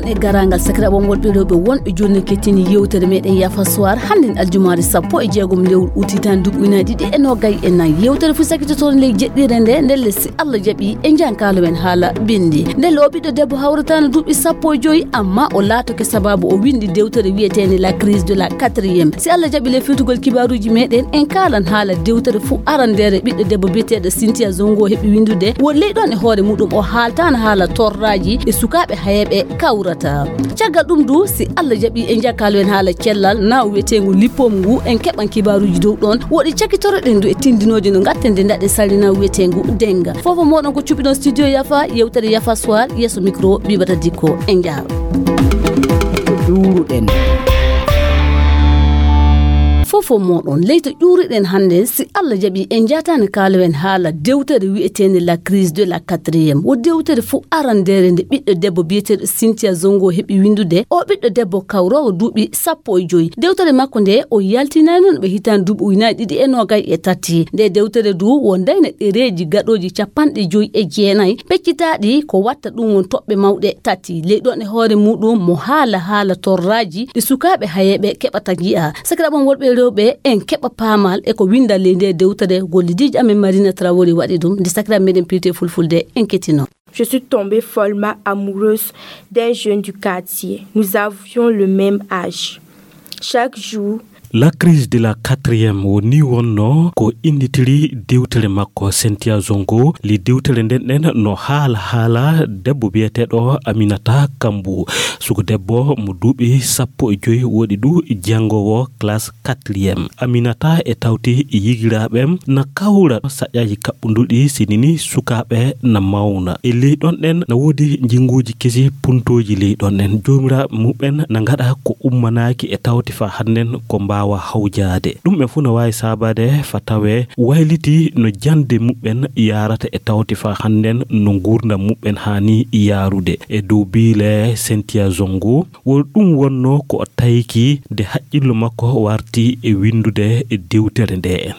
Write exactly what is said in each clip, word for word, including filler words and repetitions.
e garangal sakiraɓe wonɓe rewɓe wonɓe joni kettini yewtere meɗen Yafa Soir handen aljumare sappo e jeegom lewru utitan duuɓi ujunaje ɗiɗi e nogayi e nayyi yewtere fu sakkitotoon ley jeɗɗire nde nden lessi Allah jaaɓi e jankalo men haala bindi nden o ɓiɗɗo debbo hawratano duuɓi sappo e joyyi amma o laatoke sababu o windi dewtere wiyetende la crise de la quatrième si Allah jaaɓi le firtugol kibaruji meɗen en kalan haala dewtere fu arandere ɓiɗɗo debbo biyeteɗo Cynthia Zongo heeɓi windude won leyɗon e hoore muɗum o haaltano haala torraji e sukaɓe hayeɓe kawrata caggal ɗum du si Allah jaaɓi e jakkalo en haala cellal na wiyetego lippom ngu en keɓan kibaruji dow ɗon woɗi cakkitoroɗen du e tindinoje no gattende daɗe salina wiyetego denga fofo moɗon ko cuɓiɗon studio Yafa yewtere Yafa Soir yesso micro Bibata Dikko en jaaha ɗuruɗen fofo moɗon leyto ƴuriɗen hande si Allah jaaɓi en jatani kalawen haala dewtere wi'etende la crise de la quatrième wo dewtere fu arandere nde ɓiɗɗo debbo biyeteɗo Cynthia Zongo heeɓi windude o ɓiɗɗo debbo kawrowo duuɓi sappo e joyyi dewtere makko nde o yaltinani noon ɓe hitani duuɓi ujunaje ɗiɗi e nogayi e tati nde dewtere du wondayno ɗereji gaɗoji capanɗe joyyi e jeenayyi peccitaɗi ko watta ɗum won toɓɓe mawɗe tati leyɗon e hoore muɗum mo haala haala torraji ɗe sukaɓe hayeɓe keɓata jiya sakiraɓon wolɓe rewɓe en keɓa paamal e ko windale nde dewtere gollidiji amen Marina Traoré waɗi ɗum nde sakiraɓe meɗen pirte fulfulde en kettino. Je suis tombée follement amoureuse d'un jeune du quartier. Nous avions le même âge. Chaque jour, La crise de la quatrième woni wonno ko inditiri dewtere makko Cynthia Zongo li dewtere nden nden no haala haala debbo biyeteɗo Aminata Kambu suko debbo mo duuɓi sappo e joyi woɗi du jangowo classe quatrième Aminata e tawti yigiraɓem na kawra saƴaji kaɓɓuduɗi sinini sukaɓe na mawna e leyɗon ɗen na woodi jinguji kesi puntoji leyɗon ɗen jomiraɓe muɓen na gaɗa ko ummanaki e tawti fa hannen ko mba wa hawjade ɗum ɓe fu no wawi sabade fa tawe wayliti no jande muɓɓen yarata e tawti fa handen no gurdam muɓɓen hani yarude e dow biile Cynthia Zongo wol ɗum wonno ko tayki de haqqillo makko warti e windude e dewtere nde en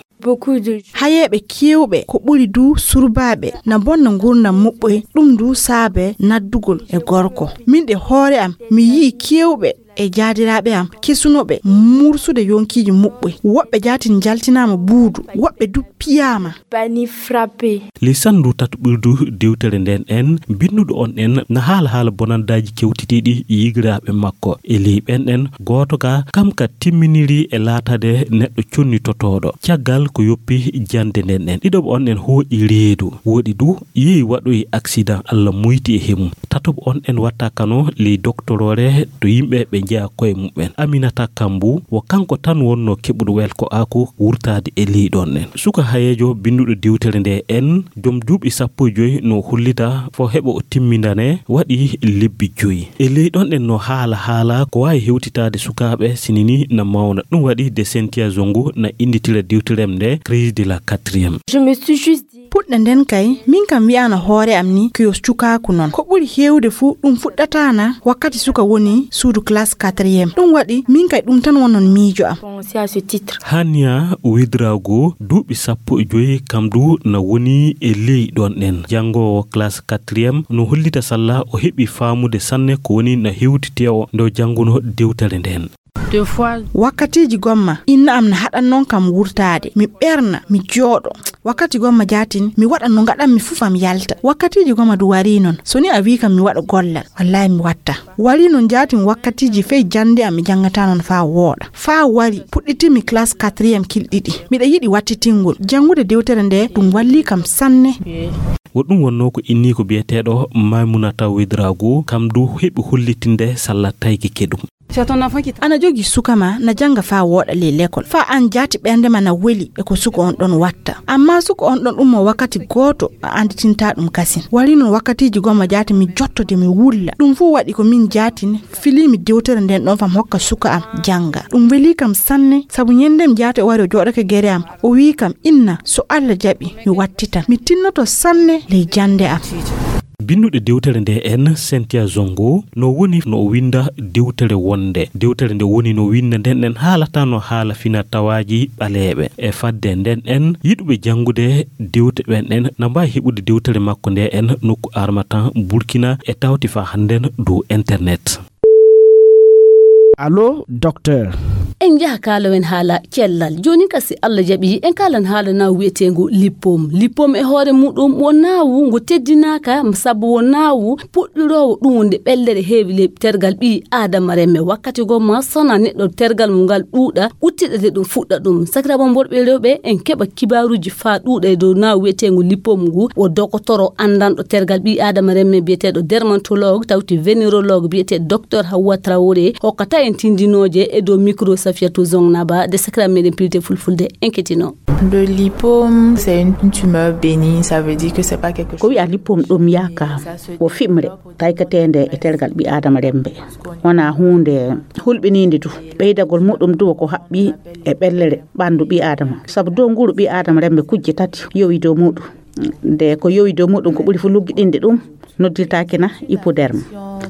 hayeɓe kewɓe ko ɓuri du surbaɓe na bonna gurdam muɓɓe ɗum du saabe naddugol e gorko min de hoore am mi yi kewɓe e jaadiraɓe am kesunoɓe mursude yonkiji muɓɓe woɓɓe jatin jaltinama buudu woɓɓe du piyama bani frappé li sandu tatu ɓurdu dewtere nden en binnuɗo on en na haala haala bonandaji kewtitiɗi yigiraɓe makko e ley ɓen en goto ka kam ka timminiri e laatade neɗɗo connitotoɗo caggal ko yoppi jande nden en ɗiɗoɓe on en hooƴi reedu woɗi du yeeyi waɗoyi accident Allah muyti e hemum tatoɓe on en watta kano ley doctorore to yimɓe ɓe jeeya koye muɓɓen Aminata Kambu wo kanko tan wonno keɓuɗo welko ako wurtade e leyɗon en suka hayejo binduɗo dewtere nde en joom duuɓi sappo e joyi no hollita fo heɓa o timmindane waɗi lebbi joyi e leyɗon en no haala haala ko wawi hewtitade sukaɓe sinini na mawna ɗum waɗi de Cynthia Zongo na inditira dewterem nde crise de la quatrième. Je me suis juste puɗɗe nden kay min kam wiyana hoore am ni ko yo cukaku non ko ɓuri hewde fu ɗum fuɗɗatana wakkati suka woni suudu classe quatrième ɗum waɗi min kay ɗum tan wonon miijo am. Hania Widrago duuɓi sappo e joyi kam du na woni e leyɗon ɗen jangowo classe quatrième no hollita salla o heɓi faamude sanne ko woni na hewtitewo ndo janguno dewtere nden. Deux fois wakkatiji gomma inna am na haɗan non kam wurtade mi ɓerna mi jooɗo wakkati gomma jatin mi waɗan no gaɗan mi fufam yalta wakkatiji gomma du wari non so ni a wi kam mi waɗa gollal wallahi mi watta wari non jatin wakkatiji fey jande am mi jangata non fa wooɗa fa wari puɗɗitimi classe quatrième kilɗiɗi miɗa yiɗi wattitingol jangude dewtere nde ɗum walli kam sanne. woɗɗum wonno ko inni ko biyeteɗo Maimunata Widrago kam du heɓi hollitinde salla tayki keɗum. ana jogi sukama na janga fa woɗa le l'école fa an jati ɓernde ma na weli e ko suko on ɗon watta amma suko on ɗon ummo wakkati goto a anditinta ɗum kasin wari non wakkatiji gomma jati mi jottode mi wulla ɗum fu waɗi ko min jatine filimi dewtere nden ɗon fam hokka suka am janga ɗum weli kam sanne sabu nyendem jati o wari o joɗake gere am o wi kam inna so Allah jaɓi mi wattitan mi tinnoto sanne ley jande am. binnude dewtere nde en Cynthia Zongo no woni no winda dewtere wonde dewtere nde woni no winda nden en haalata no haala fina tawaji baleebe e fadde nden en yidube jangude dewte ben en na mbawi hebude dewtere makko nde en nokku Armatan Burkina e tawti fa handen do internet. Allo docteur en jaha kaalawen haala cellal joni kasi Allah jabi en kalan haala na wietengo lipom lipom e hoore mudum wonawu ngo teddinaka sabu wonawu puddiro dum wonde bellere heewi le tergal bi adama remme wakkati go ma sona neddo tergal mungal duuda uttide dum fudda dum sakrabo borbe rewbe en keba kibaruji fa duuda do na wietengo lipom ngu o dokotoro andando tergal bi adama remme bietedo dermatologue tawti venerologue biete docteur Hawa Traoré hokkata en tindinoje e do micro Safiatou Zongnaba de Sacramento Pilite Fulfulde inquiétino. Le lipome c'est une tumeur bénigne, ça veut dire que c'est pas quelque chose. Ko wi a lipome dum yaka o fimre taykatende e tergal bi adama rembe wana hunde hulbininde du beydagol mudum du ko habbi e bellere bandu bi adama sabu do nguru bi adama rembe kujje tati yowi do mudum de ko yowi do mudum ko buri fu luggidinde dum nodditaake na hypoderme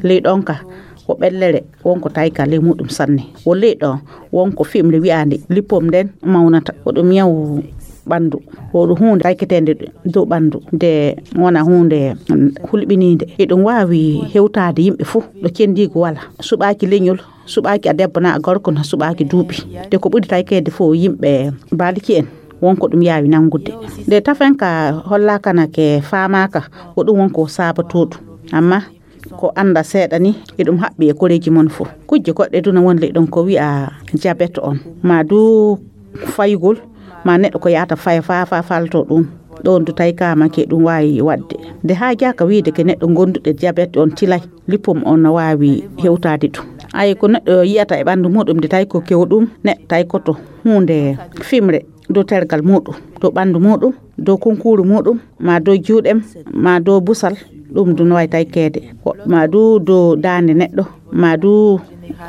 ley donka ko bellere wonko tayka le mudum sanne o leedo wonko fimle wi'ande lipom den mawnata o dum yaw bandu o do hunde tayketende do bandu de wona hunde hulbininde e dum waawi hewtaade yimbe fu do cendigo wala subaaki lenyol subaaki a debbo na gorko na subaaki duubi de ko budi taykede fo yimbe baliki en wonko dum yaawi nangude de tafenka hollakana ke faamaka o dum wonko sabatodu amma ko anda seedani e dum habbi e koreji mon fu kujje godde duna wonle don ko wi'a diabete on ma du faygol ma neddo ko yaata fay fa fa falto dum don du tayka ma ke dum wayi wadde de ha jaaka wiide ke neddo gondude diabete on tilay lipom on na wawi hewtaade dum ay ko neddo yiyata e bandu mudum de tay ko kewdum ne tay ko to hunde fimre do tergal mudum do bandu mudum do konkuru mudum ma do juudem ma do busal dum du way taykede ma du do dande neddo ma du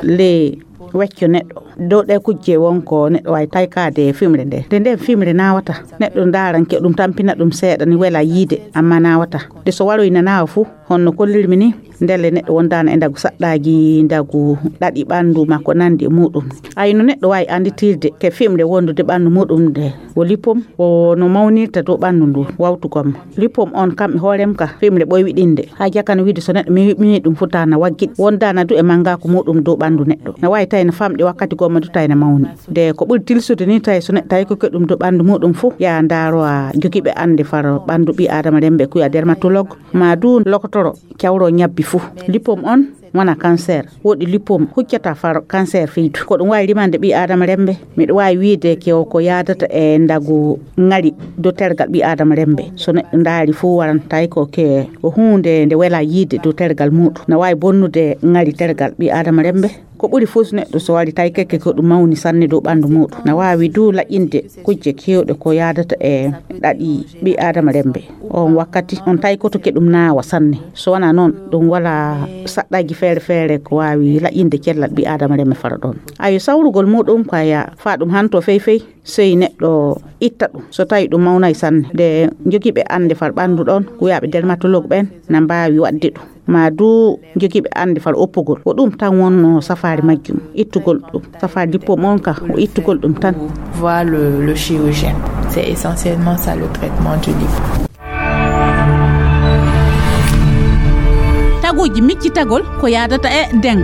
le weccio neddo do de kujje wonko neddo way taykade fimre de de de fimre nawata neddo daranke dum tampina dum seeda ni wela yide amma nawata de so waro ina nawa fu honno kollirmi ni ndelle neddo wondana e ndagu saddaaji ndagu dadi bandu makko nandi mudum ayno neddo way anditirde ke fimre wondude bandu mudum de wo lipom o no mawnirta do bandu ndu wawtugom lipom on kam hoorem ka fimre boy widinde ha jakana wiide so neddo mi wibini dum futana waggid wondana du e manga ko mudum do bandu neddo na way tayna famde wakkati go madu tayna mawni de ko buri tilsude ni tay so neddo tay ko kedum do bandu mudum fu ya ndaro a jogibe ande far bandu bi adama rembe ku ya dermatologue ma du lokotoro kyawro nyabbi fu lipom on wana cancer wodi lipom huccata far cancer fiitu ko dum way rimande bi adama rembe mi do way wiide ke ko yaadata e ndagu ngari do tergal bi adama rembe so ne ndaari fu waran tay ko ke o hunde nde wela yide do tergal mudu na way bonnude ngari tergal bi adama rembe ko buri fus neddo so wari tay keke ko dum mawni sanne do bandu mudu na wawi du la'inde kujje kewde ko yaadata e dadi bi adama rembe on wakkati on tay ko to kedum naawa sanne so wana non dum wala saddaaji fere fere ko wawi la'inde kellal bi adama rembe fara don ayo sawrugol mudum ko ya fa dum hanto feefey sey neddo itta dum so tay dum mawnay sanne de jogibe ande far bandu don ko yaabe dermatologue ben na mbaawi wadde dum ma du jogibe ande fal oppugol o dum tan wonno safari majjum ittugol dum safari dippo monka o ittugol dum tan voir le, le chirurgien c'est essentiellement ça le traitement du lipo tagoji miccitagol ko yaadata e deng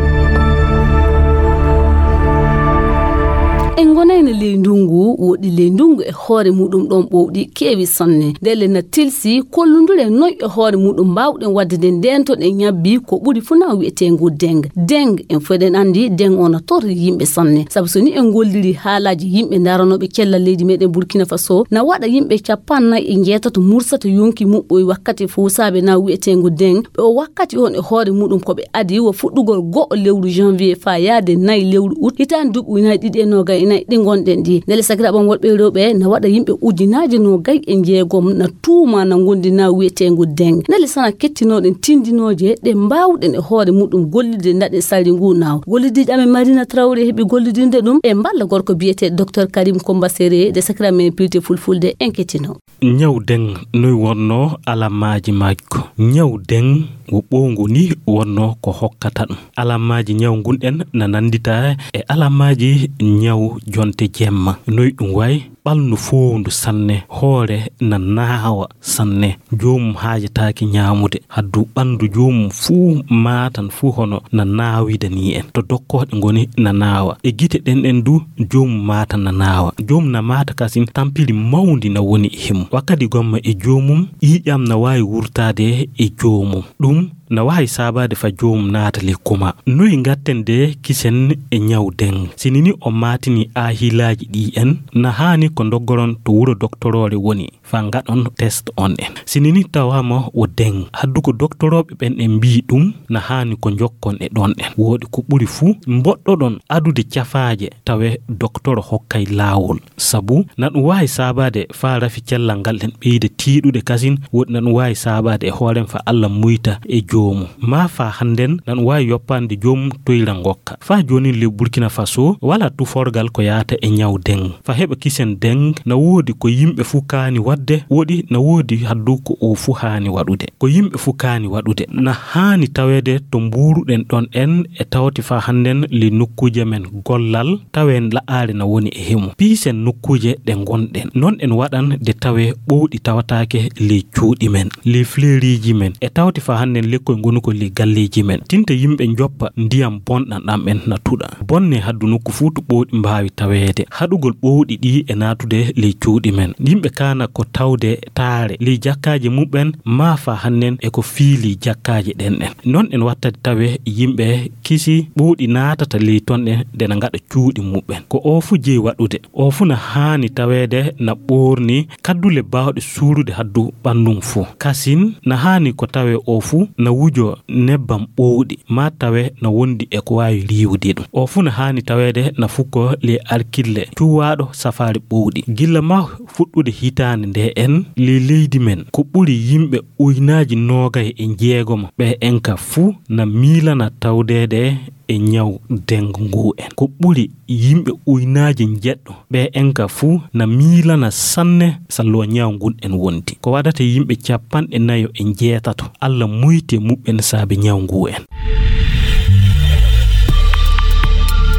en gonayno leyndungu wodi leyndungu e hoore mudum don bowdi kewi sonne delle na tilsi kollundure noy e hoore mudum bawden wadde den dento den nyabbi ko buri funa wietengu deng deng en foden andi deng ona tor yimbe sonne sabu so ni en golliri haalaji yimbe daranobe kella leydi meden Burkina Faso na wada yimbe capanna e jetato mursata yonki mubboy wakkati fusabe na wietengu deng be o wakkati on e hoore mudum ko be adi wo fuddugol go lewru janvier fa yaade nay lewru août hitan dubu ina didi e noga inayi ɗi gonɗen ɗi ndele sakiraɓam wolɓe rewɓe na waɗa yimɓe ujunaaje no gay e jeegom na tuuma na gondi na wiyetengu deng ndele sana kettinoɗen tindinoje ɗe mbawɗen e hoore muɗum gollide ndaɗe sali ngu naw gollidiɗe amen Marina Traoré heɓi gollidinde ɗum e mballa gorko biyete docteur Karim Komba Séré de sakiramen pilté fulfulde en kettino ñaw deng noy wonno alamaji majko ñaw deng wo ɓowngu ni wonno ko hokkata ɗum alamaji ñaw gunɗen na nandita e alamaji ñaw jonte jemma noy ɗum way ɓalnu fowndu sanne hoore na naawa sanne jomum haajataaki ñaamude haddu ɓandu jomum fuu maatan fuu hono na naawida ni en to dokkoɗe ngoni na naawa e gite ɗen ɗen du jomum maata na naawa jomum na maata kasin tampiri mawndi na woni e himo wakkati gomma e jomum ƴiƴam na waawi wurtaade e jomum ɗum na wawi sabade fa jomum naata lekkuma noyi gattende kisen e ñaw deng sinini o matini a hilaji ɗi en na hani ko doggoron to wuro doctorore woni fa gaɗon test on en sinini tawama o deng haddu ko doctoroɓe ɓen en mbi ɗum na hani ko jokkon e ɗon en woodi ko ɓuri fuu mboɗɗoɗon adude cafaje tawe docteur hokkay lawol sabu na ɗum wawi sabade fa rafi cellal ngal en ɓeyde tiiɗude kasin woodi na ɗum wawi sabade e hoorem fa Allah muyta e jomum ma fa handen nan wawi yoppande jomum toyra ngokka fa joni le Burkina Faso wala tuforgal ko yaata e ñaw deng fa heba kisen deng na wodi ko yimbe fu kaani wadde wodi na wodi haddu ko o fu haani wadude ko yimbe fu kaani wadude na haani tawede to mburuɗen ɗon en e tawti fa handen le nokkuje men gollal tawen la'aare na woni e hemu pisen nokkuje ɗe gonɗen non en waɗan de tawe ɓowɗi tawataake le cuuɗi men le fleuriji men e tawti fa handen le ko ngonu ko li galleji men tinta yimbe joppa ndiyam bonɗan ɗam en natuɗa bonne haddu nokku fuutu ɓowɗi mbaawi taweede haɗugol ɓowɗi ɗi e natude le cuuɗi men yimɓe kana ko tawde taare li jakkaji muɓen ma fa hannen e ko fiili jakkaji ɗen en non en wattade tawe yimɓe kisi ɓowɗi natata li ton ɗen de na ngaɗa cuuɗi muɓen ko o fu jeyi waɗude o fu na haani taweede na ɓorni kaddule bawɗe suurude haddu ɓandum fu kasin na haani ko tawe o fu na wujo nebbam ɓowɗi ma tawe na wondi e ko wawi riwde ɗum o fu na haani taweede na fukko li arkille cuwaɗo safari ɓowɗi gilla ma fuɗɗude hitande nde en li leydi men ko ɓuri yimɓe uynaji nogay e jeegoma ɓe enka fu na milana tawdede e ñaw deng ngu en ko ɓuri yimɓe uynaji jeɗɗo ɓe enka fu na milana sanne sallo ñaw ngun en wonti ko wadata yimɓe capanɗe nayo e jeetato Allah muyti muɓɓen saabe ñaw ngu en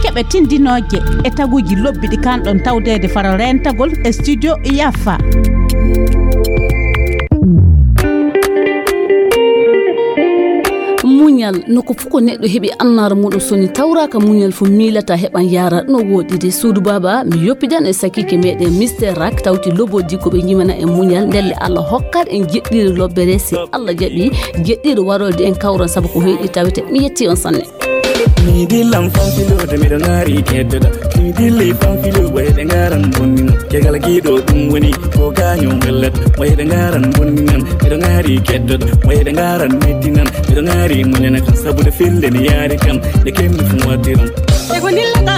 keɓe tindinoje e taguji lobbiɗi kanɗon tawdede fara rentagol e studio Yafa muñal noko fuko neɗɗo heɓi annara muɗum soni tawraka muñal fu milata heɓan yara no woɗide suudu baba mi yoppidan e sakike meɗen Mister Rak tawti loboji ko ɓe jimana e muñal ndelle Allah hokkat en jeɗɗiri lobbere si Allah jaɓi jeɗɗiri warolde en kawran saabu ko heeɗi tawete mi yetti on sanne mi dillam fanfilude miɗo ngaari keddoɗa mi dilli fanfilu ɓoyɗe ngaran bonninan jegal giɗo ɗum woni ko gaño bellat ɓoyɗe ngaran bonninan miɗo ngaari keddoɗa ɓoyɗe ngaran meddinan miɗo ngaari muñana kan sabude felde ne yaari kam nde kemmi fu waddiran ego dillata